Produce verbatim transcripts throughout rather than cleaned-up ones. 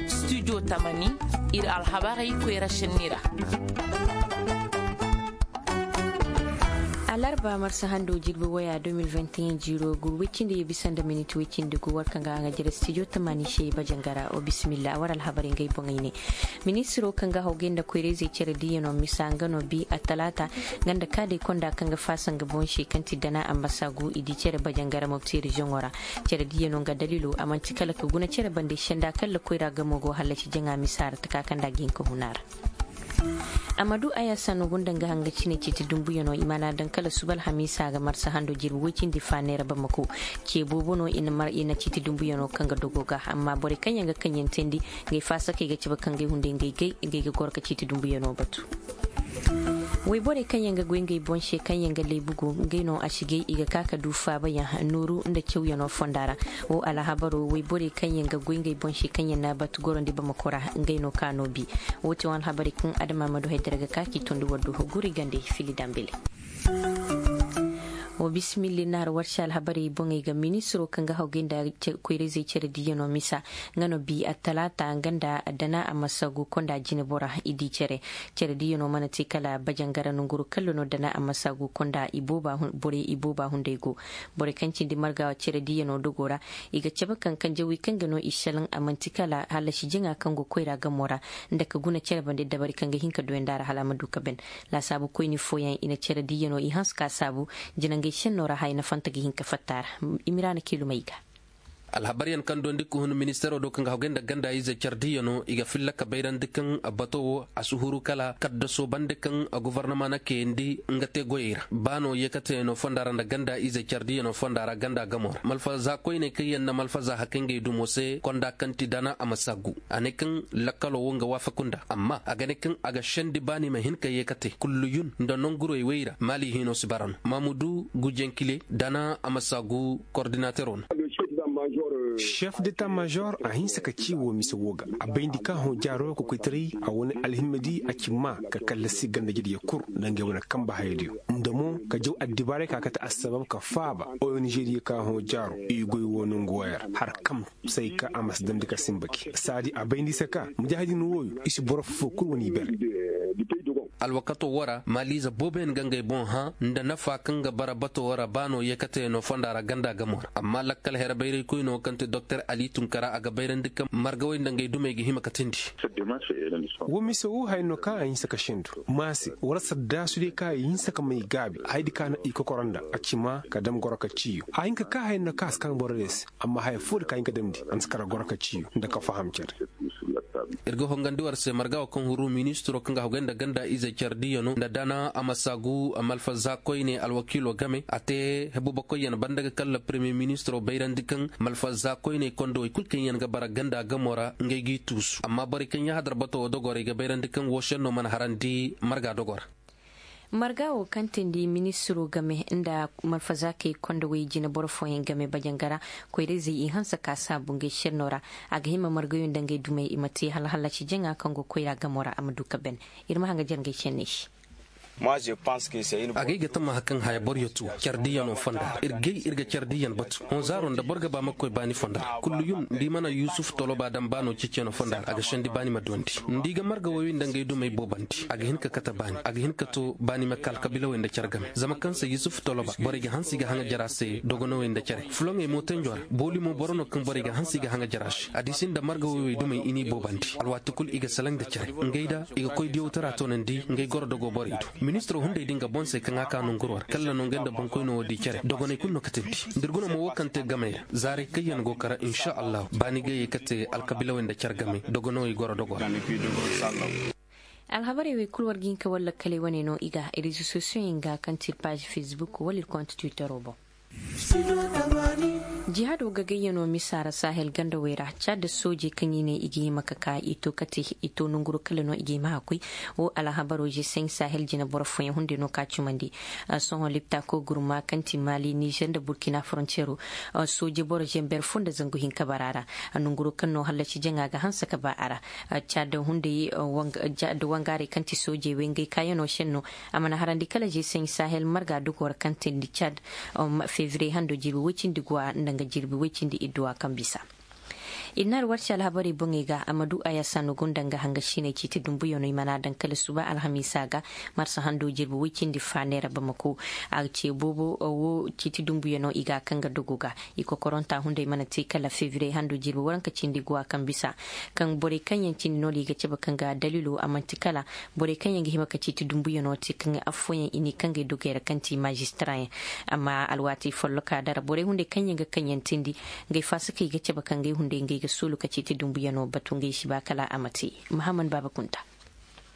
Studio tamani, ir alhabarey koyra senni ra. Alarba marsa hando jirbi waya deux mille vingt et un jiiro gu woy cindi ye bisa nda minit woy cindi gu war kaŋ ga a ga jere studio tamani se i bajangara o bisimilla war alhabarey ngey boŋey ne. Ministiro kaŋ ga hawgay nda koyrayzey cere diiyano misa nga no bi attalaata nga nda kaadey konda kaŋ ga faasa nga boŋ se kaŋ ti dana ambasagu i di cere bajangara mopti reziyoŋo ra. Cere diiyano nga daliilo a manti kala ka guna cere bande senda kala koyra gamo go hallasi jaŋa misa ra taka kaŋ da ga hin ka huna ra. Amadu ayasa no gunda nga hanga cine ciiti dumbuyano i mana daŋ kala suba alhamiisa ga marsa hando jirbi woy cindi faaney ra bamako. Ce boobo no i na ciiti dumbuyano kaŋ ga dogo ga amma borey kaŋ yaŋ ga kaŋ yaŋ teendi. Ngey faasakey ga cabe kaŋ gay hunday ngey gay ngey ga goro ka ciiti dumbuyano batu. Woyborey kaŋ yaŋ ga goy ngey boŋ se kaŋ yaŋ ga leebu go ngey no a si gay i ga ka ka du faabayaŋ nooru nda cawyano fonda ra. Wo alhabaro woyborey kaŋ yaŋ ga goy ngey boŋ se kaŋ yaŋ na batu gorandi bamako ra ngey no ka no bi. Wo ti wo alhabarey kaŋ adama ma du haydara ga ka k'i tondi war du guri gande fili dambele. Wa bisimilli na har warse alhabarey boŋey ga ministiro kaŋ ga hawgay nda koyra-izey cere diiyano misa. Nga no bi attalaata nga nda dana a ma sagu konda jinebora i di cere. Cere diiyano mana te kala bajangara nonguru kalla no dana a ma sagu konda borey i booba hunday go. Borey kaŋ cindi marga cere diiyano dogo ra i ga cabe kaŋ kanjawey kaŋ ga no i selaŋ a manti kala hallasi jaŋa kaŋ go koyra gamo ra. Nda ka guna cere bande dabari kaŋ ga hin ka duwandi a ra hala a ma du ka ben. Laasaabu koyni fooyaŋ i na cere diiyano i hanse ka saabu. Jinangey senno ra haya na fanta ga hin ka fatta a ra. Imiraana kiilumey ga. Alhabaryaŋ kaŋ dondi ka hun ministeero do kaŋ ga hawgay nda ganda ize cere diiyano i ga filla ka bayrandi kaŋ bato wo a si huru kala kaddaso bande kaŋ gofornama na kayandi nga te goyey ra ba no yeekateyano fonda ra nda ganda ize cere diiyano fonda ra ganda gamo ra malfaza koyney kaŋ yaŋ na malfaza hakay ngey dumo se konda kaŋ ti dana a ma saggu. A ne kaŋ lakkalo wo nga waafaku nda amma a ga ne kaŋ a ga sendi baani ma hin ka yeekate kulluyun nda nongurey wey ra maali hino si bara no maamudu gujenkile dana a ma saggu kordinatero no. Sef deta major a hinsa ka ci wo mise wo ga a bayndi ka hõ jaaro kokoytaray a wane alhimma di a ci maa ka kallasi ganda jediyo kul nda ngey wane kamba hayadiyo nda mo ka jaw addibaaray ka kate assabab ka faaba ong diyo ka hõ jaaro i goy wo nongu wo ya ra har kam say ka a ma si damndi ka simba gi saadi a bayndi se ka mujaahidin wooyo i si boro foo kul wane i bere. Alwakato wo ra maaliize booboyaŋ ga ngey boŋ hã nda nafa kaŋ ga bara bato wo ra ba no yeekateyano fonda ra ganda gamo ra amma lakkal here bayraykoyno kaŋ ti doktor ali tunkara a ga bayrandi kaŋ margawey nda ngey dumey ga hima ka tindi. Wo mise wo haya no kaŋ a hinsa ka sendu maase wala saddaasu day kaŋ a hinsa ka may gaabi hayadi kaŋ a na i kokoro nda a ci maa ka dam goro ka ciiyo a hin ka kaa haya no kaŋ a si kaŋ boro day se. Amma haya foo da ka hin ka damndi a na si kara goro ka ciiyo nda ka faham cere. Ir ga hongandi war se marga wo kaŋ huru ministiro kaŋ ga hogay nda ganda ize care diiyano nda dana a ma saagu malfaza koyne alwakiilo game a te hebubakoyyaŋ banda ga kalla premiye ministiro bayrandi kaŋ malfaza koyney kondowey kul kaŋ yaŋ ga bara ganda gamo ra ngey g'i tuusu amma borey kaŋ yahadar bato wo dogo ra i ga bayrandi kaŋ wo senno mana harandi marga dogo ra. Marga wo kaŋ tindi ministiro game nda malfazakey kondowey jineboro fooyaŋ game bajangara koyrayzey i hanse ka saabu ngey senno ra. A ga hima margayo nda ngey dumey i ma te hala hallasi jaŋa kaŋ go koyra gamo ra a ma du ka ben. Ir ma haŋ ga jere ngey senney se. Agay ga tama hakaŋ haya boro yatu care diiyano fonda ra ir gay ir ga care diiyan batu hõ zaaro nda boro ga ba ma koy baani fonda ra kulluyum nda i mana yusuf toloba daŋ baano ceeceno fonda ra a ga sendi baani ma duwandi nda i ga marga woyey nda ngey dumey boobandi a ga hin ka kate baani a ga hin ka to baani ma ka alkabiilawey nda care game zama kaŋ se yusuf toloba borey ga hanse i ga haŋa jara se dogonowey nda care fuloŋey mootanjo ra booli mo boro no kaŋ borey ga hanse i ga haŋa jara se a di si nda marga woyey dumey i n'i boobandi alwaati kul i ga salaŋ nda care ngey da i ga koy diyawtara toonandi ngey goro dogo borey do. Ministiro hunday din ga boŋ se kaŋ a ka nonguro ra kalla no ngey nda boŋkoyno wo di care dogoney kulu no katandi nda ir guna mo wo kaŋ te gamey ra zaarey kaŋ yaŋ go kara insa allahu baani ga ye ka te alkabiilawey nda care game dogonowey goro dogo ra. Alhabarey wey kulu war ga hin ka war lakkaley wane no i ga rezo sosiyoŋey ga kaŋ ti ir paazi fesbuk wala ir konti twittero boŋ. Jihaado gagayyano misa ra sahel gandawey ra caada soojey kaŋ i ne i ga hima ka ka i to kate i to nonguro kala no i ga hima ka koy. Wo alhabaro zeseŋ sahel jina boro fooyaŋ hunday no ka cumandi. Sohõ lipta koy gurma kaŋ ti maali nizer nda burkina forontiyero sooje boro zember fo nda zangu hinka bara ra. Nonguro kaŋ no hallasi jaŋa ga hanse ka ba a ra. Caada hunday da wangaarey kaŋ ti soojey wey ngey kaayano senno. A mana harandi kala zeseŋ sahel marga dogoo ra kaŋ teendi cad. Febriye hando jiibi woy cindi go a nda. ga jirbi woy cindi idduwa kaŋ bisa. I na alwarci alhabarey boŋey ga a ma du a yaasa no gunda nga hanga siney ciiti dumbuyanoo i mana daŋ kala suba alhamiisa ga. Marsa hando jirbi woy cindi fa neera bamako a ga ce boobo wo ciiti dumbuyanoo i ga a kaŋ ga dogo ga. I kokoronta hunday mana te kala febriye hando jirbi waranka cindi guwa kaŋ bisa kaŋ borey kaŋ yaŋ cindi no- din i ga cabe kaŋ ga dalilo a man'ti kala borey kaŋ yaŋ ga hima ka ciiti dumbuyanoo te kaŋ affooyaŋ i n'i kaŋ ga ay dogey ra kaŋ ti maazistarayaŋ. Amma alwaati folloka dara borey hunday kaŋ yaŋ ga kaŋ yaŋ tindi, ngey faasakey ga cabe ka ngey hunday ngey ga soolu ka ciiti dumbuyanoo batu ngey si ba kala a ma te. Mahammad baaba kunta.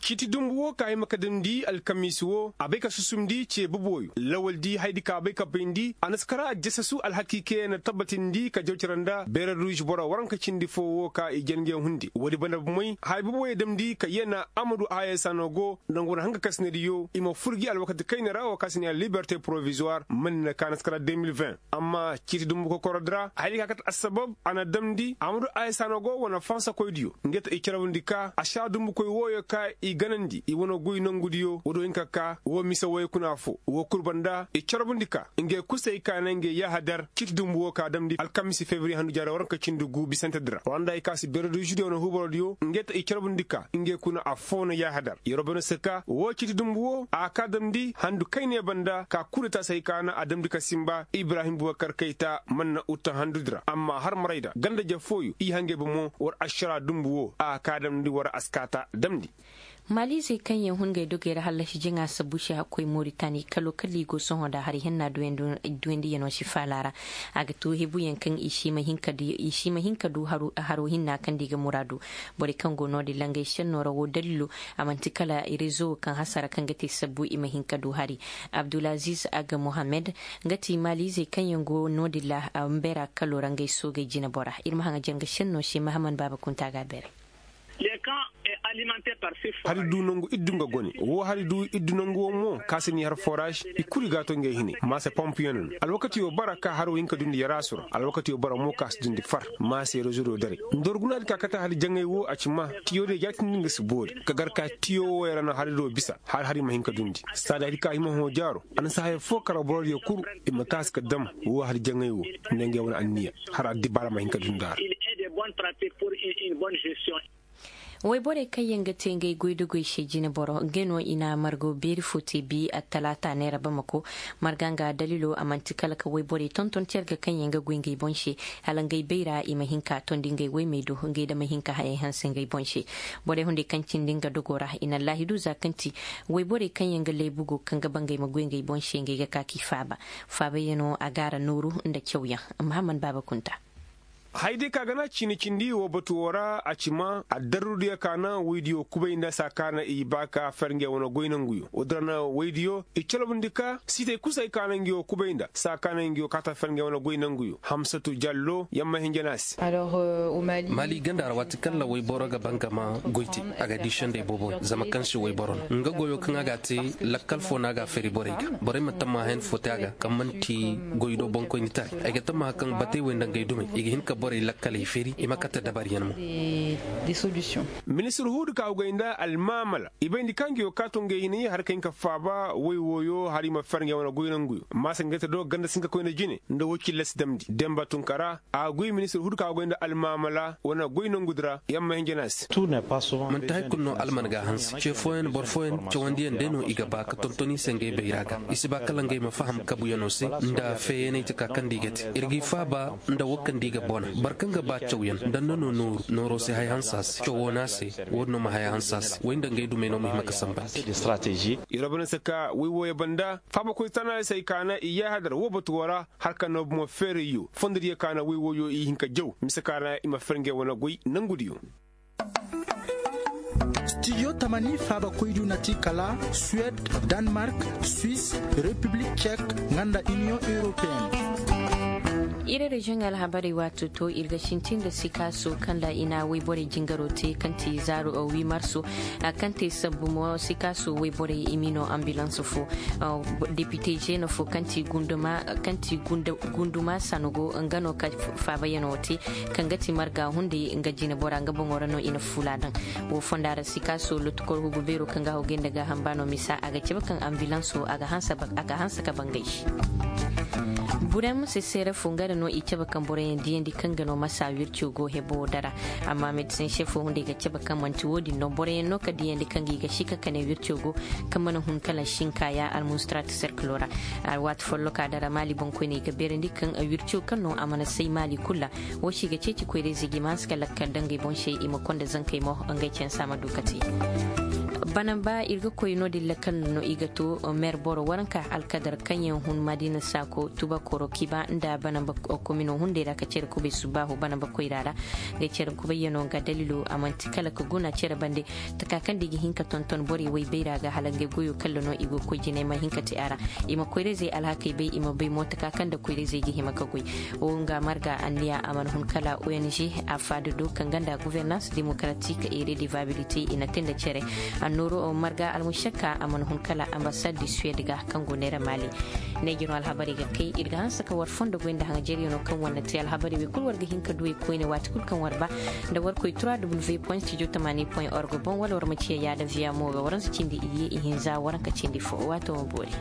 Ciiti dumbu wo ka hima ka damndi alkamiisi wo a bay ka susumndi ce boboyo lawaldi hayadi ka a bay ka bayndi a na si kara a jasasu alhakiikey na tabbatindi ka jaw cere nda beere ruuž boro waranka cindi foo wo ka i jana ngey hundi woodi banda bomey haya boboyo damndi ka yana amadu haya saano go nda nga wane hanga kasinadiyo i ma fur gi alwakati kayna ra wo ka si ne liberte porovizuwar man na ka na si kara deux mille vingt. Amma ciiti dumbu kokoro di ra hayadi ka kate assabab a na damndi amadu haya saano go wane fansakoydiyo ngey ta i carabandi ka a si a dumbukoy wooyo ka i ganandi i wane goy nongudiyo woodiyo hin ka ka woo mise wooyo kuna foo woo kul banda i carabandi ka ngey kusay ka na ngey yaahadar ciiti dumbu woo ka damndi alkamisi febriye handu jaara waranka cindi gu bisante di ra wara nda i ka si bereduzidiyo wane huubarodiyo ngey ta i carabandi ka ngey kuna affoo na yaahadar yeroo banda se ka woo ciiti dumbu woo a ka damndi handu kayne banda ka kudeta se hay ka na a damndi ka sinba ibrahim bubakar kayta man na uta handudi ra amma har maray da ganda-je fooyo i hangey bomo war ašara dumbu woo a ka damndi war askaata damndi. Maaliizey kaŋ yaŋ hun ngey dogey ra hallasi jaŋa sabbu se hakkoy moritani kalo kala i go sohõ nda hari henna duwayandiyano si faala ra. A ga too hebuyaŋ kaŋ i si ma hin ka du haro hinna kaŋ nda i ga muraadu. Borey kaŋ go no- din ra ngey senno ra wo daliilo a man'ti kala rezo wo kaŋ hasara kaŋ ga te sabbu i ma hin ka du hari. Abdulaziz aga mohammed nga ti maaliizey kaŋ yaŋ go no- din ra a ma bayra kalo ra ngey soogey jinebora ir ma haŋ a janga senno se mahaman baaba kunta ga a bayray. Hari du nangu iddu nga gone wo hari du iddu nangu wo mo ka si ni har foraž i kulu i ga a to ngey hine maase pompiyoŋ no alwakatiyo bara ka haro hinka dundi yaraasu ra alwakatiyo bara mo ka si dundi far maase rezo do daray nda war gunaadi ka kate hari jaŋay wo a ci ma tiyo diyo jaatindi nga si boori ka gar ka tiyo wo yara no hari do bisa har hari ma hinka dundi saada hari ka hima hõ jaaro a na si haya fo kara borodiyo kulu i ma taasi ka dam wo hari jaŋay wo nda ngey wane anniya har addibaara ma hin ka dunda ra. Wayborey kaŋ yaŋ ga te ngey goy da goy se jineboro ngey no i na margo beeri fo te bi attalaata neera bamako. Marga nga daliilo a man'ti kala ka wayborey tonton carga kaŋ yaŋ ga goy ngey boŋ se hala ngey bayra i ma hin ka tondi ngey waymey do ngey da ma hin ka hayey hanse ngey boŋ se. Borey hunday kaŋ cindi nga dogo ra i na laahidu za kaŋ ti wayborey kaŋ yaŋ ga laybugo kaŋ ga ba ngey ma goy ngey boŋ se ngey ga ka k'i faaba. Faabayaŋo a ga a ra nooru nda cawyaŋ. Mahaman baaba kunta. Hayday ka gana ciini cindi wo batu wo ra a ci ma addarrudiyo ka na woydiyo kubay nda saa ka na i ba ka fer ngey wane goy nanguyo woodin ra na woydiyo i calabandi ka siitay kusay ka na nguyo kubay nda saa ka na nguyo kaata fer ngey wane goy nanguyo hamsatu jallo yamma hinja no a se. Maali ganda ra waati kaŋ ra woyboro ga ba nga ma goy te a ga di sendey boobo zama kaŋ si woyboro no nga goyo kaŋ a ga a te lakkal fo no a ga a feeri borey ga borey ma tammaha hen fo te a ga kaŋ man'ti goy do boŋkoynitaray ay ga tammaha kaŋ batey wey nda ngey dumey i ga hin ka borey lakkaley feeri i ma kate dabaryaŋ mo. Ministir huudu ka hugay nda almaamala i bayndi kaŋ nguyo ka to ngey hinay har ka hin ka faaba woy wooyo har i ma fer ngey wane goy nanguyo maasa ngey te do ganda sinka koyne jine nda woy cilla si damndi demba tunkara a ga goy ministir huudu ka hugay nda almaamala wane goy nangudi ra yamma hinja no a se. Man'ti hari kulu no alman ga a hanse ce fooyaŋ boro fooyaŋ cawandiyaŋ day no i ga ba ka tonton i se ngey bayra ga i si ba kala ngey ma faham kabuyaŋo se nda feeyaney ti ka kaŋ nda i ga te ir g'i faaba nda wo kaŋ nda i ga bona boro kaŋ ga ba cawyaŋ nda nda no nooru nooro si haya hanse a se cawo no a se woodin no ma haya hanse a se woy nda ngey dumey no ma hima ka sambandi. Yeroo banda se ka woy wooyo banda faabakoy tanayo se ay ka na i yaahadar wo batu wo ra har ka no bomo feerayyo fondodiyo ka na woy wooyo i hin ka jaw mise ka na i ma fer ngey wane goy nangudiyo. Studio tamani faabakoydiyo na ti kala suwed, danmark, swis, repiblik cek, nga nda iniyoŋ europeyenne. Ir reziyoŋ alhabarey waato to ir ga sintin nda sikaaso kaŋ ra i na woyborey jingaro te kaŋ ti zaaru wi marso. Kaŋ te sabbu mo sikaaso woyborey i m'i no ambilans fo depite zeena fo kaŋ ti gunduma sano go nga no ka faabayaŋo te kaŋ ga ti marga hunday nga jinebora nga boŋo ra no i na fula daŋ. Wo fonda ra sikaaso lotukor hugu beero kaŋ ga hawgay nda gaaham ba no misa a ga cabe kaŋ ambilanso a ga hanse ka bangay se. Burem sesere fo nga da no i cabe kaŋ boroyaŋ diyandi kaŋ ga no masa wirco go hebo dara. Amma medisin sefo hunday ga cabe kaŋ manti wo-din no boroyaŋ no ka diyandi kaŋ ga i ga sika ka ne wirco go kaŋ mana hun kala sinkaya almustrata serkilo ra. Waati folloka dara maali boŋkoyney ga beerandi kaŋ wirco kaŋ no a mana say maali kulu ra. Wo se i ga ceeci koyra-izey ga i ma hanse ka lakkal daŋ ngey boŋ se i ma konda zankey mo ngey cen se a ma du ka te. Banamba ir ga koy no-din lakkal no i ga to, mer boro waranka alkadar kaŋ yaŋ hun madina saako tubakoro kiba nda banamba komino hunday ra ka cere kubay subaahu banamba koyra ra. Ngey cere kubayyano nga dalilo a manti kala ka guna cere bande taka kaŋ da i ga hin ka tonton borey waybayra ga hala ngey goyo kalla no i go koy jinay ma hin ka te a ra. I ma koyra-izey alhakey bay i ma bay mo taka kaŋ nda koyra-izey ga hima ka goy. Wo nga marga anniya a mana hun kala ong a faada do kaŋ ganda guvernans demokaratik e redevabilite i na te nda cere. Annooro marga almušakka a mana hun kala ambasad di suwed ga kaŋ go neera maali. Ne jiro alhabarey ga kay ir ga hanse ka war fondo goy nda haŋajeriyano kaŋ war na te alhabarey wey kulu war ga hin ka du i koyne waati kulu kaŋ war ba nda war koy trois w point studio tamani point org boŋ wala war ma ciya yaada viya mo ga waransa cindi iyye ihinza waranka cindi fo waato ma boori.